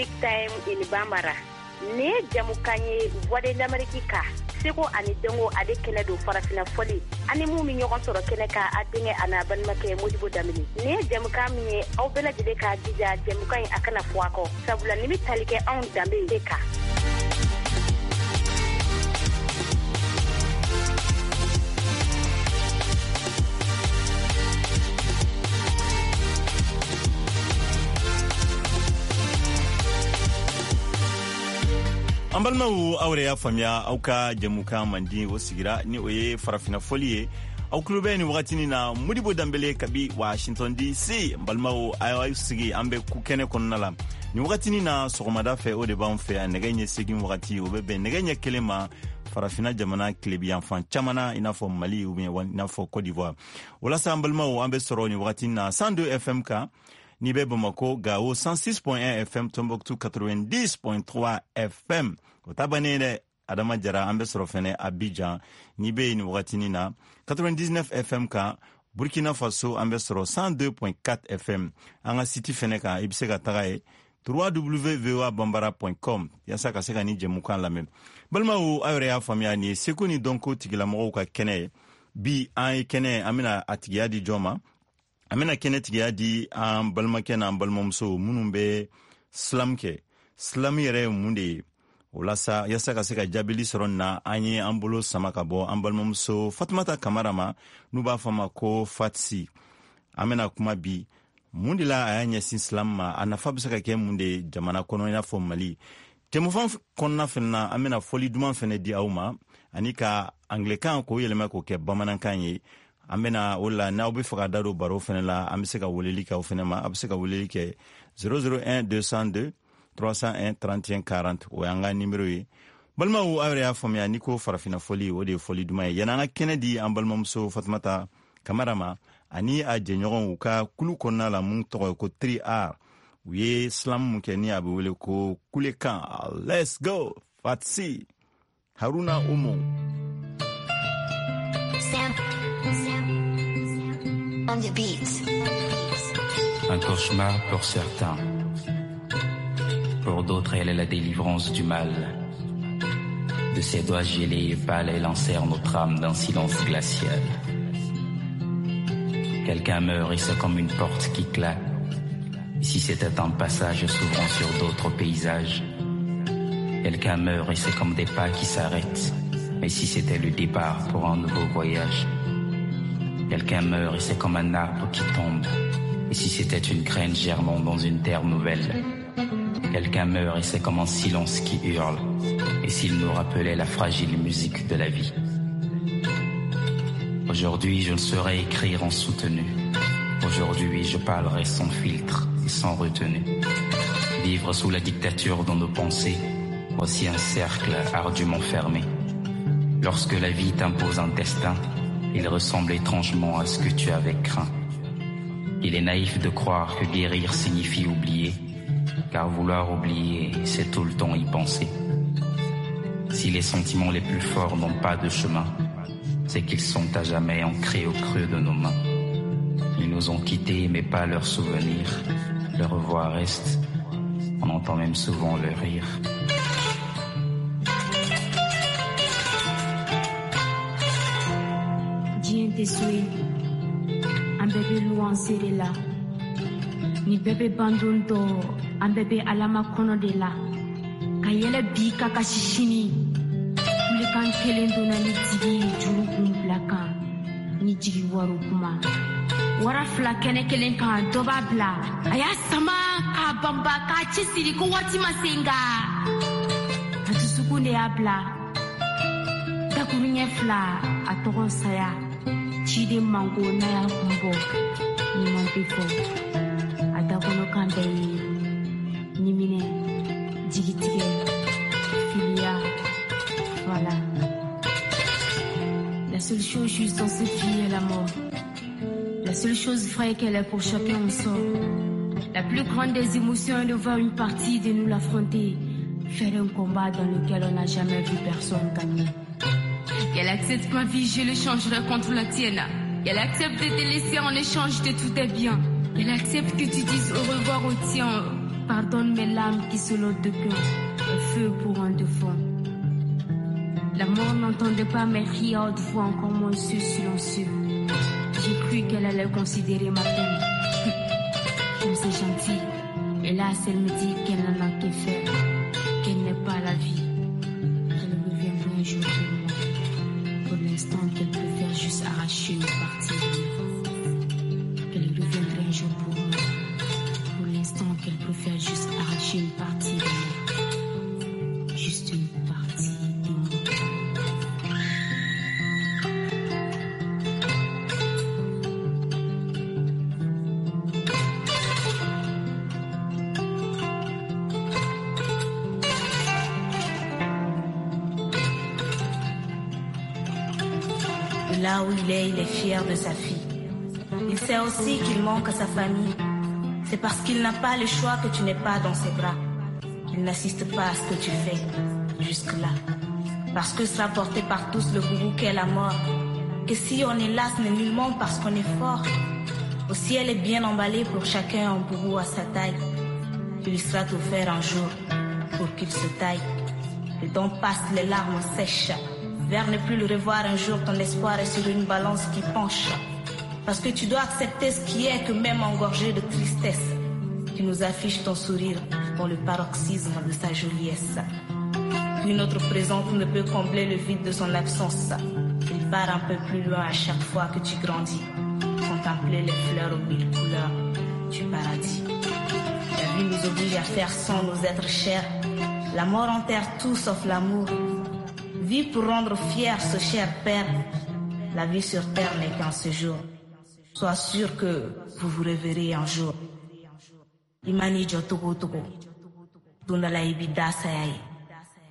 Music Time in Bambara. Nin ye jamukan ye Voix de l'Amérique ka seko ani dɔnko ale kɛnɛ don farafina fɔli ani mun bɛ ɲɔgɔn sɔrɔ kɛnɛ kan a denkɛ a n'a balimakɛ Modibo Danbele. Nin ye jamukan min ye aw bɛɛ lajɛlen k'a jija jamukan in a kana fɔ a kɔ sabula nin bɛ tali kɛ anw danbe de kan. An balimaw, aw yɛrɛ y'a faamuya, aw ka jɛmukan mandi o sigira ni o ye farafina fɔli ye. Aw tulo bɛ nin wagatinin na Modibo Danbele kabi Washington DC. N balimaw, aw sigi, an bɛ ku kɛnɛ kɔnɔna la nin wagatinin na. Sɔgɔmada fɛ, o de b'an fɛ yan, nɛgɛ ɲɛ 8 wagati, o bɛ bɛn nɛgɛ ɲɛ 1 ma farafina jamana tilebiyanfan caman na, i n'a fɔ Mali ou bien i n'a fɔ Côte d'Ivoire. Walasa an balimaw, an bɛ sɔrɔ nin wagatinin na 102 FM kan n'i bɛ Bamako, Gawo 106.1 FM, Tombouctou 90.3 FM. O ta bannen dɛ, Adama Jara. An bɛ sɔrɔ fɛnɛ Abidjan n'i bɛ yen nin wagatinin na 99 FM kan. Burkina Faso, an bɛ sɔrɔ 102.4 FM. An ka site fɛnɛ kan, i bɛ se ka taga ye www.voabambara.com yaasa ka se ka ni jɛmukan lamɛn. Balimaw, aw yɛrɛ y'a faamuya, nin ye seko ni dɔnko tigilamɔgɔw ka kɛnɛ ye. Bi an ye kɛnɛ, an bɛna a tigiya di jɔn ma? An bɛna kɛnɛ tigiya di an balimakɛ n'an balimamuso minnu bɛ slam kɛ. Slam yɛrɛ ye mun de ye? O la sa, yaasa ka se ka jaabili sɔrɔ nin na, an ye an bolo sama ka bɔ an balimamuso Fatumata Kamara ma, n'u b'a fɔ ma ko Fatsi. An bɛna kuma bi mun de la a y'a ɲɛsin slam ma, a nafa bɛ se ka kɛ mun de ye jamana kɔnɔ i n'a fɔ Mali. Jɛmukan kɔnɔna fɛnɛ na, an bɛna fɔli duman fɛnɛ di aw ma ani ka anglɛkan k'o yɛlɛma k'o kɛ bamanankan ye. An bɛna o la, n'aw bɛ fɛ ka da don baro fɛnɛ la, an bɛ se ka weleli kɛ aw fɛnɛ ma. A bɛ se ka weleli kɛ 001 202 301 31 40, o y'an ka nimero ye. Balimaw, aw yɛrɛ y'a faamuya, n'i ko farafina fɔli, o de ye fɔli duman ye. Yanni an ka kɛnɛ di an balimamuso Fatumata Kamara ma ani a jɛɲɔgɔnw, u ka kulu kɔnɔna la mun tɔgɔ ye ko 3R, u ye slam mun kɛ ni a bɛ wele ko kulekan. Let's go, Fatsi Haruna Omo. Sam, Sam, on the beat. Un cauchemar pour certains. Pour d'autres, elle est la délivrance du mal. De ses doigts gelés et pâles, elle enserre notre âme d'un silence glacial. Quelqu'un meurt et c'est comme une porte qui claque. Si c'était un passage s'ouvrant sur d'autres paysages. Quelqu'un meurt et c'est comme des pas qui s'arrêtent. Mais si c'était le départ pour un nouveau voyage. Quelqu'un meurt et c'est comme un arbre qui tombe. Et si c'était une graine germant dans une terre nouvelle. Quelqu'un meurt et c'est comme un silence qui hurle. Et s'il nous rappelait la fragile musique de la vie. Aujourd'hui, je ne saurais écrire en soutenu. Aujourd'hui, je parlerai sans filtre et sans retenue. Vivre sous la dictature dans nos pensées, voici un cercle ardument fermé. Lorsque la vie t'impose un destin, il ressemble étrangement à ce que tu avais craint. Il est naïf de croire que guérir signifie oublier, car vouloir oublier, c'est tout le temps y penser. Si les sentiments les plus forts n'ont pas de chemin, c'est qu'ils sont à jamais ancrés au creux de nos mains. Ils nous ont quittés, mais pas leurs souvenirs. Leur voix reste. On entend même souvent leur rire. Diɲɛ tɛ so ye, an bɛɛ bɛ luwanse de la. Ni bɛɛ bɛ bandon dɔ, an bɛɛ bɛ alama kɔnɔ de la. Ka yɛlɛ bi ka kasi sini. Kulekan kelen donna ni tigi ye juru kun bila kan ni jigi waro kuma. Wara fila kɛnɛ kelen kan, dɔ b'a bila a y'a sama k'a banba k'a cɛsiri ko waati ma se, nka a dusukun de y'a bila. Dakuruɲɛ fila, a tɔgɔ saya. Ciden manko n'a y'a kun bɔ, ɲuman tɛ fɔ. A dakɔnɔkan bɛɛ ye ɲiminɛ, jigitigɛ, filiya. Voilà. La seule chose juste dans cette vie est la mort. La seule chose vraie qu'elle est pour chacun en sort. La plus grande des émotions est de voir une partie de nous l'affronter, faire un combat dans lequel on n'a jamais vu personne gagner. Qu'elle accepte ma vie, je le changerai contre la tienne. Qu'elle accepte de te laisser en échange de tous tes biens. Qu'elle accepte que tu dises au revoir au tien. Pardonne mes larmes qui, selon d'aucuns, un feu pour un défunt. La mort n'entendait pas mes cris à haute voix, encore moins ceux silencieux. J'ai cru qu'elle allait considérer ma peine. Comme c'est gentil. Hélas, elle me dit qu'elle n'en a que faire, qu'elle n'est pas la vie, qu'elle reviendra un jour pour moi. Pour l'instant, qu'elle préfère juste arracher une partie de moi. Qu'elle reviendra un jour pour moi. Pour l'instant, qu'elle préfère juste arracher une partie de moi. Juste une partie de moi. Là où il est fier de sa fille. Il sait aussi qu'il manque à sa famille. C'est parce qu'il n'a pas le choix que tu n'es pas dans ses bras. Il n'assiste pas à ce que tu fais jusque-là. Parce que sera porté par tous le boubou qu'est la mort. Que si on est là, ce n'est nullement parce qu'on est fort. Au ciel est bien emballé pour chacun un boubou à sa taille. Il lui sera offert un jour pour qu'il se taille. Le temps passe, les larmes sèchent. Vers ne plus le revoir un jour, ton espoir est sur une balance qui penche. Parce que tu dois accepter ce qui est, que même engorgé de tristesse, tu nous affiches ton sourire dans le paroxysme de sa joliesse. Une autre présence ne peut combler le vide de son absence. Il part un peu plus loin à chaque fois que tu grandis. Contempler les fleurs aux mille couleurs du paradis. La vie nous oblige à faire sans nos êtres chers. La mort enterre tout sauf l'amour. Vie pour rendre fier ce cher père. La vie sur terre n'est qu'un séjour. Sois sûr que vous vous reverrez un jour. Imani Jotogo Togo.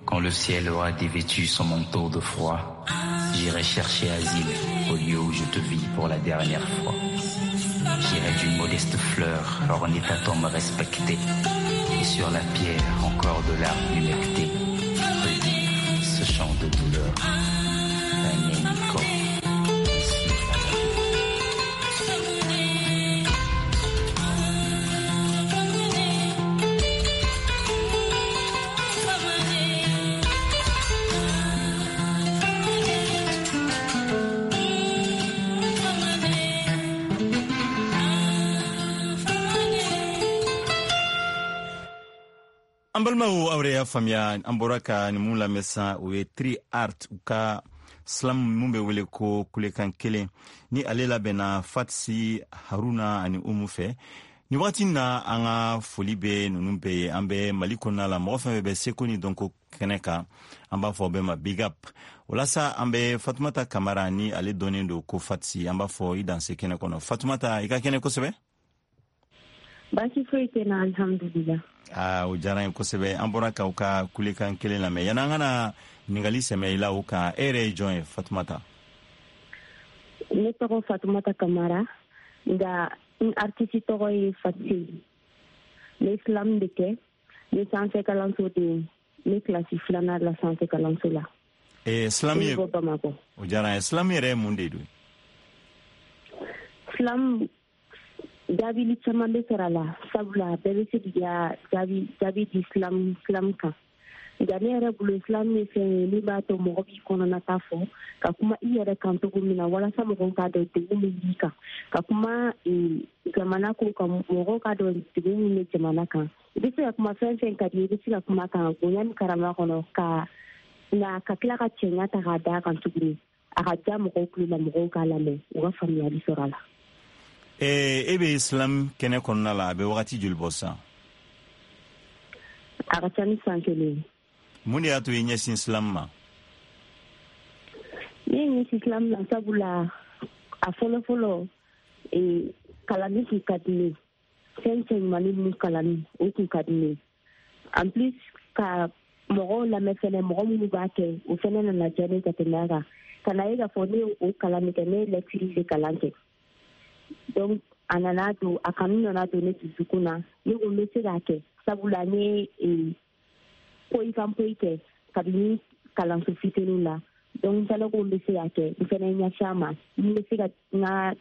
Quand le ciel aura dévêtu son manteau de froid, j'irai chercher asile au lieu où je te vis pour la dernière fois. J'irai d'une modeste fleur orner ta tombe respectée, et sur la pierre encore de larmes humectées, redire ce chant de douleur. An balimaw, aw yɛrɛ y'a faamuya, an bɔra ka nin mun lamɛn sisan, o ye Tri Art u ka slam mun bɛ wele ko kulekan kelen, ni ale labɛnna Fatsi Haruna ani Umu fɛ. Nin wagati na, an ka foli bɛ ninnu bɛɛ ye. An bɛ Mali kɔnɔna la, mɔgɔ fɛn fɛn bɛ seko ni dɔnko kɛnɛ kan, an b'a fɔ bɛɛ ma big up. O la sa, an bɛ Fatumata Kamara, ni ale dɔnnen don ko Fatsi, an b'a fɔ i danse kɛnɛ kɔnɔ. Fatumata, i ka kɛnɛ kosɛbɛ. Baasi foyi tɛ na, alhamdulillah. Aa, o diyara n ye kosɛbɛ. An bɔra k'aw ka kulekan kelen lamɛn. Yanni an ka na ɲininkali sɛmɛ i la o kan, e yɛrɛ ye jɔn ye, Fatumata? Ne tɔgɔ Fatumata Kamara, nka n artiste tɔgɔ ye Fatsi. Ne slam de kɛ, ne sanfɛ kalanso de ye, ne kilasi filanan la sanfɛ kalanso la. Slam ye Ne bɔ Bamakɔ. O diyara n ye. Slam yɛrɛ ye mun de don? Slam jaabili caman bɛ sɔrɔ a la, sabula bɛɛ bɛ se k'i ka jaabi di slam kan. Nka ne yɛrɛ bolo, slam ye fɛn ye min b'a to mɔgɔ b'i kɔnɔnata fɔ, ka kuma i yɛrɛ kan cogo min na, walasa mɔgɔw k'a dɔn degun min b'i kan, ka kuma jamana ko kan, mɔgɔw k'a dɔn degun min bɛ jamana kan. I bɛ se ka kuma fɛn fɛn ka di i ye, i bɛ se ka kuma kan bonya ni karama kɔnɔ, ka nka ka tila ka cɛɲa ta k'a d'a kan tuguni, a ka diya mɔgɔw tulo la, mɔgɔw k'a lamɛn, u ka faamuyali sɔrɔ a la. E bɛ slam kɛnɛ kɔnɔna la, a bɛ wagati joli bɔ sisan? A ka ca ni san kelen ye. Mun de y'a to i ɲɛsin slam ma? Ne ye ɲɛsin slam ma sabula a fɔlɔ-fɔlɔ, kalanni tun ka di ne ye. Fɛn cɛɲumanni ninnu kalanni, o tun ka di ne ye. En plus, ka mɔgɔw lamɛn fɛnɛ, mɔgɔ minnu b'a kɛ, o fɛnɛ nana diya ne ye ka tɛmɛ a kan. Ka na ye k'a fɔ ne ye o kalan min kɛ, ne ye lecture de kalan kɛ. Donc a nana don, a kanu nana don ne dusukun na, ne ko n bɛ se k'a kɛ, sabula n ye poyi kan poyi kɛ kabini kalanso fitininw la. Donc n fɛnɛ ko n bɛ se k'a kɛ, n fɛnɛ ɲɛsin a ma, n bɛ se ka n ka